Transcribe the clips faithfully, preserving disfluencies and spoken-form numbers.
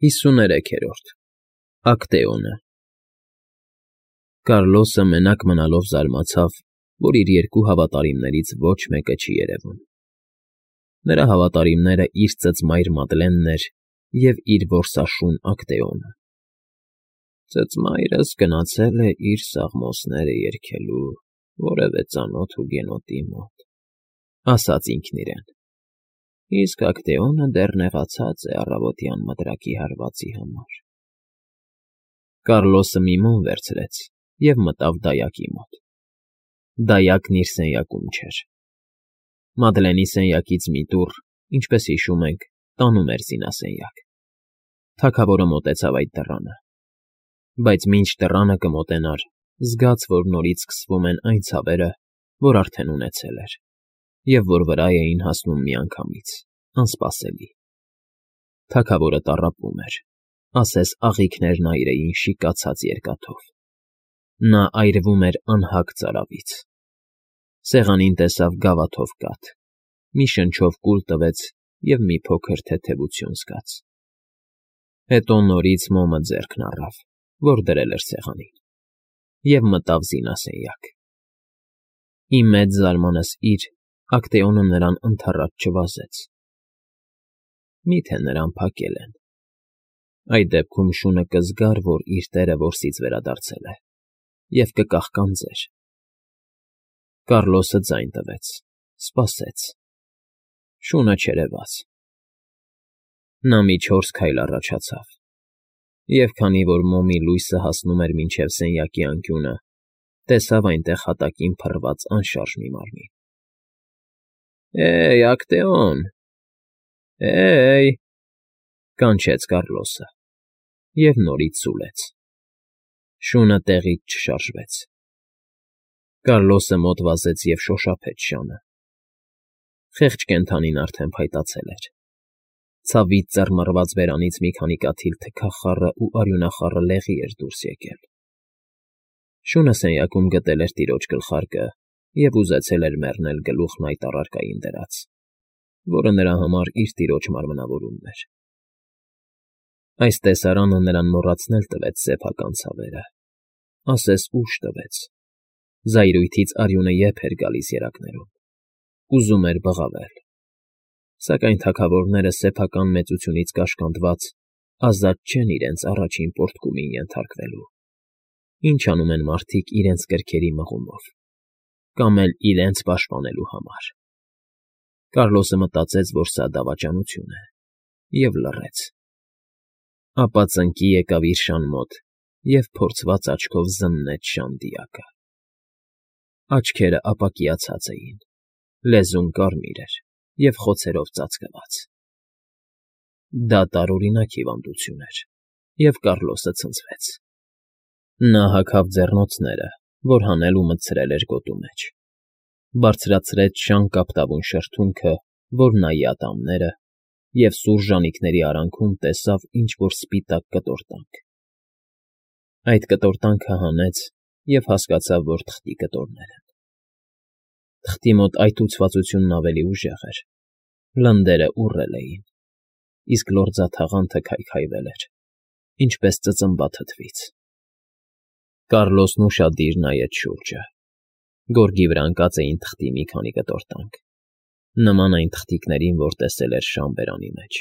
ՀԻսուներեքերորդ ԱԿՏԵՈՆԸ Կառլոսը մենակ մնալով զարմացավ, որ իր երկու հավատարիմներից ոչ մեկը չի երևում. նրա հավատարիմները իր ծծմայր Մադլենն էր և իր որսաշուն Ակտեոնը։ «Ծծմայրս գնացել է իր սաղմոսները երգելու որևէ ծանոթ հուգենոտի մոտ,֊ ասաց ինքն իրեն,֊ իսկ Ակտեոնը դեռ նեղացած է առավոտյան մտրակի հարվածի համար»։ Կառլոսը մի մոմ վերցրեց և մտավ դայակի մոտ. դայակն իր սենյակում չէր։ Մադլենի սենյակից մի դուռ, ինչպես հիշում ենք, տանում էր զինասենյակ։ Թագավորը մոտեցավ այդ դռանը, բայց մինչ դռանը կմոտենար, զգաց, որ նորից սկսվում են այն ցավերը, որ արդեն ունեցել էր, և որ վրա էին հասնում միանգամից, անսպասելի։ Թագավորը տառապում էր, ասես աղիքներն այր էին շիկացած երկաթով։ Նա այրվում էր անհագ ծարավից։ Սեղանին տեսավ գավաթով կաթ, մի շնչով կուլ տվեց և մի փոքր թեթևություն զգաց։ Հետո նորից մոմը ձեռքն առավ, որ դրել էր սեղանին, և մտավ զինասենյակ։ Ի մեծ զարմանքս իր, Ակտեոնը նրան ընդառաջ չվազեց։ Մի՞թե նրան փակել են։ Այդ դեպքում շունը կզգար, որ իր տերը որսից վերադարձել է, և կկաղկանձեր։ Կառլոսը ձայն տվեց, սպասեց։ Շունը չերևաց։ Նա մի չորս քայլ առաջացավ, և քանի որ մոմի լույսը հասնում էր մինչև սենյակի անկյունը, տեսավ այնտեղ հատակին փռված անշարժ մի մարմին։ «Հե՜յ, Ակտեոն, հե՜յ,֊ կանչեց Կառլոսը և նորից սուլեց։ Շունը տեղից չշարժվեց։ Կառլոսը մոտ վազեց և շոշափեց շանը։ Խեղճ կենդանին արդեն փայտացել էր։ Ցավից ծռմռված բերանից մի քանի կաթիլ թքախառը ու արյունախառը լեղի էր դուրս եկել։ Շունը սենյակում գտել էր տիրոջ գլխարկը և ուզեցել էր մեռնել գլուխն այդ առարկային դրած, որը նրա համար իր տիրոջ մարմնավորումն էր։ Այս տեսարանը նրան մոռացնել տվեց սեփական ցավերը, ասես ուժ տվեց։ Զայրույթից արյունը եփ էր գալիս երակներում, ուզում էր բղավել։ Սակայն թագավորները սեփական մեծությունից կաշկանդված ազատ չեն իրենց առաջին պոռթկումին ենթարկվելու, ինչ անում են մարդիկ իրենց կրքերի մղումով, կամ էլ իրենց պաշտպանելու համար։ Կառլոսը մտածեց, որ սա դավաճանություն է, և լռեց։ Ապա ծնկի եկավ իր շան մոտ և փորձված աչքով զննեց շան դիակը։ Աչքերը ապակիացած էին, լեզուն կարմիր էր և խոցերով ծածկված։ Դա տարօրինակ հիվանդություն էր, և Կառլոսը ցնցվեց։ Նա հագավ ձեռնոցները, որ հանել ու մտցրել էր գոտու մեջ, բարձրացրեց շան կապտավուն շրթունքը, որ նայի ատամները, և սուր ժանիքների արանքում տեսավ ինչ֊որ սպիտակ կտորտանք։ Այդ կտորտանքը հանեց և հասկացավ, որ թղթի կտորներ են։ Թղթի մոտ այթուցվածությունն ավելի ուժեղ էր, լնդերը ուռել էին, իսկ լորձաթաղանթը քայքայվել էր, ինչպես ծծմբա թթվից։ Կառլոսն ուշադիր նայեց շուրջը։ Գորգի վրա ընկած էին թղթի մի քանի կտորտանք, նման այն թղթիկներին, որ տեսել էր շան բերանի մեջ։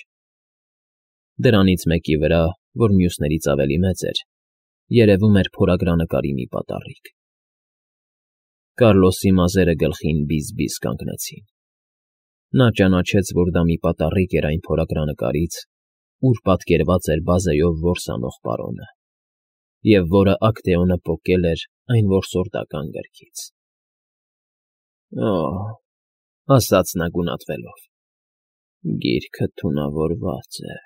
Դրանից մեկի վրա, որ մյուսներից ավելի մեծ էր, երևում էր փորագրանկարի մի պատառիկ։ Կառլոսի մազերը գլխին բիզ֊բիզ կանգնեցին։ Նա ճանաչեց, որ դա մի պատառիկ էր այն փորագրանկարից, ուր պատկերված էր բազեով որս անող պարոնը, և որը Ակտեոնը պոկել էր այն որսորդական գրքից։ «Օ՜հ,֊ ասաց նա գունատվելով,֊ գիրքը թունավորված է»,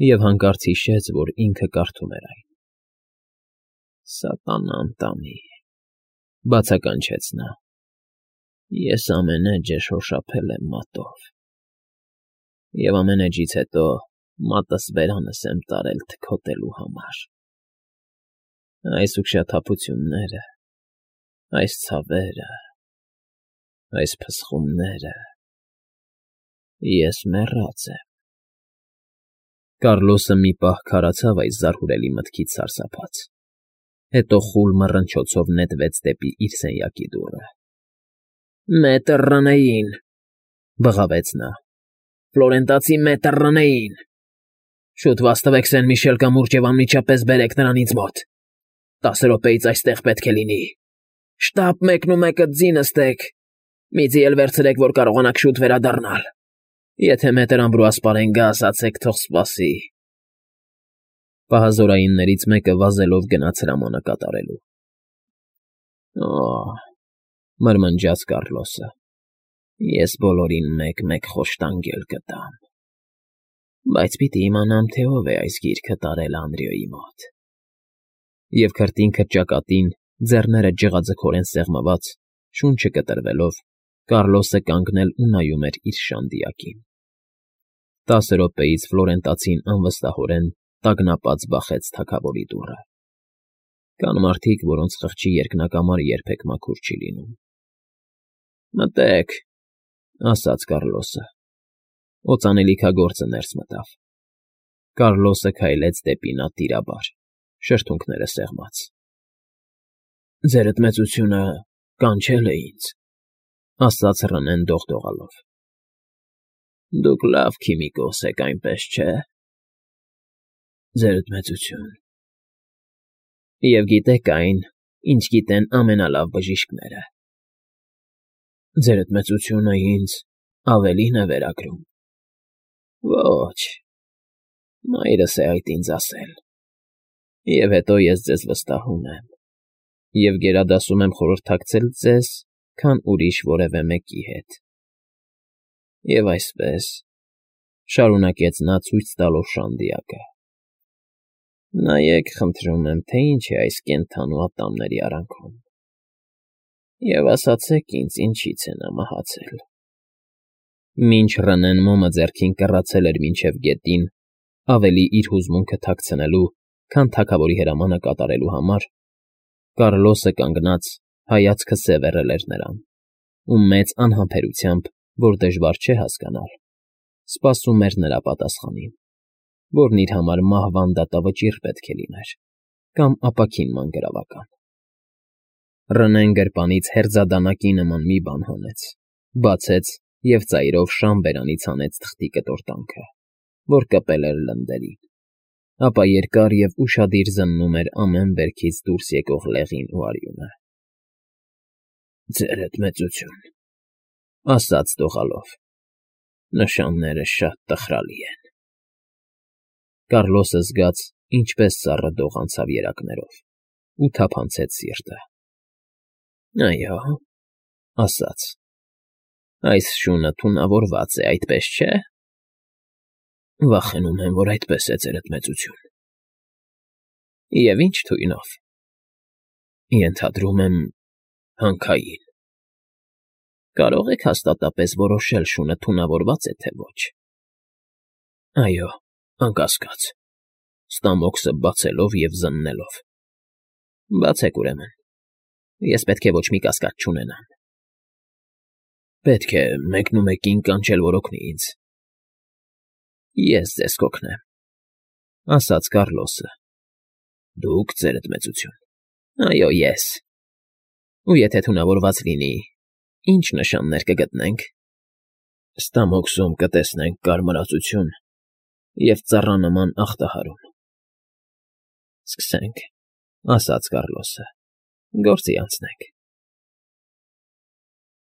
և հանկարծ հիշեց, որ ինքը կարդում էր այն։ «Սատանան տանի,֊ բացականչեց նա,֊ ես ամեն էջը շոշափել եմ մատով, և ամեն էջից հետո մատս բերանս եմ տարել թքոտելու համար։ Այս ուշաթափությունները, այս ցավերը, այս փսխումները… ես մեռած եմ»։ Կառլոսը մի պահ քարացավ այս զարհուրելի մտքից սարսափած, հետո խուլ մռնչոցով նետվեց դեպի իր սենյակի դուռը։ ֊ Մետր Ռնեին,֊ բղավեց նա,֊ Ֆլորենտացի մետր Ռնեին… Շուտ վաստվեք Սեն֊Միշել կամուրջ և անմիջապես բերեք նրան ինձ մոտ… Տասը րոպեից այստեղ պետք է լինի… Շտապ մեկնումեկը ձի նստեք, մի ձի էլ վերցրեք, որ կարողանաք շուտ վերադառնալ… Եթե մետր Ամբրուաս գա, ասացեք թող սպասի… Պահազորայիններից մեկը վազելով գնաց հրամանը կատարելու։ Օ՜, մրմնջաց Կառլոսը, ես բոլորին մեկ֊մեկ խոշտանգել կտամ… Բայց պիտի իմանամ, թե ով է այս գիրքը տարել Անդրեոյի մոտ… Եվ քրտին քրճակատին, ձեռները ջղաձգորեն սեղմված, շունչը կտրվելով, Կառլոսը կանգնել ու նայում էր իր շանդիակին։ Տասը րոպեից Ֆլորենտացին անվստահորեն տագնապած բախեց թագավորի դուռը։ Կան մարդիկ, որոնց խղճի երկնակամարը երբեք մաքուր չի լինում։ ֊ Մտե՛ք,֊ ասաց Կառլոսը։ Օծանելիքագործը ներս մտավ։ Կառլոսը քայլեց դեպի նա տիրաբար, շրթունքները սեղմած։ ֊ Ձերդ մեծությունը կանչել է ինձ,֊ ասաց Ռնեն դողդողալով։ ֊ Դուք լավ քիմիկոս եք, այնպես չէ՞… ֊ Ձերդ մեծություն… Եվ գիտեք այն, ինչ գիտեն ամենալավ բժիշկները… ֊ Ձերդ մեծությունը ինձ ավելին է վերագրում… ֊ Ոչ, մայրս է այդ ինձ ասել… Եվ հետո ես ձեզ վստահում եմ և գերադասում եմ խորհրդակցել ձեզ, քան ուրիշ որևէ մեկի հետ… Եվ այսպես,֊ շարունակեց նա ցույց տալով շանդիակը,֊ նայեք, խնդրում եմ, թե ինչ է այս կենդանու ատամների արանքում… Եվ ասացեք ինձ, ինչի՞ց է նա մահացել… Մինչ Ռնեն մոմը ձեռքին կռացել էր մինչև գետին, ավելի իր հուզմունքը թաքցնելու, քան թագավորի հրամանը կատարելու համար, Կառլոսը կանգնած հայացքը սևեռել էր նրան ու մեծ անհամբերությամբ, որ դժվար չէ հասկանալ, սպասում էր նրա պատասխանին, որն իր համար մահվան դատավճիռ պետք է լիներ կամ ապաքին մանրավական։ Ռնեն գրպանից հերձադանակի նման մի բան հանեց, բացեց և ծայրով շան բերանից հանեց թղթի կտորտանքը, որ կպել էր լնդերին, ապա երկար և ուշադիր զննում էր ամեն վերքից դուրս եկող լեղին ու արյունը։ ֊ Ձերդ մեծություն,֊ ասաց դողալով,֊ նշանները շատ տխրալի են… Կառլոսը զգաց, ինչպես սառը դող անցավ երակներով, ու թափանցեց սիրտը։ ֊ Այո,֊ ասաց,֊ այս շունը թունավորված է, այդպես չէ՞… ֊ Վախենում եմ, որ այդպես է, ձերդ մեծություն։ ֊ Եվ ի՞նչ թույնով։ ֊ Ենթադրում եմ, հանքային։ ֊ Կարո՞ղ եք հաստատապես որոշել շունը թունավորվա՞ծ է, թե ոչ։ ֊ Այո, անկասկած, ստամոքսը բացելով և զննելով։ ֊ Բացեք, ուրեմն, ես պետք է ոչ մի կասկած չունենամ։ ֊ Պետք է մեկնումեկին կանչել, որ օգնի ինձ։ ֊ Ես ձեզ կօգնեմ,֊ ասաց Կառլոսը։ ֊ Դուք, ձերդ մեծություն։ ֊ Այո, ես։ ֊ Ու եթե թունավորված լինի, ի՞նչ նշաններ կգտնենք։ ֊ Ստամոքսում կտեսնենք կարմրածություն և ծառանման ախտահարում։ ֊ Սկսենք,֊ ասաց Կառլոսը,֊ գործի անցնենք։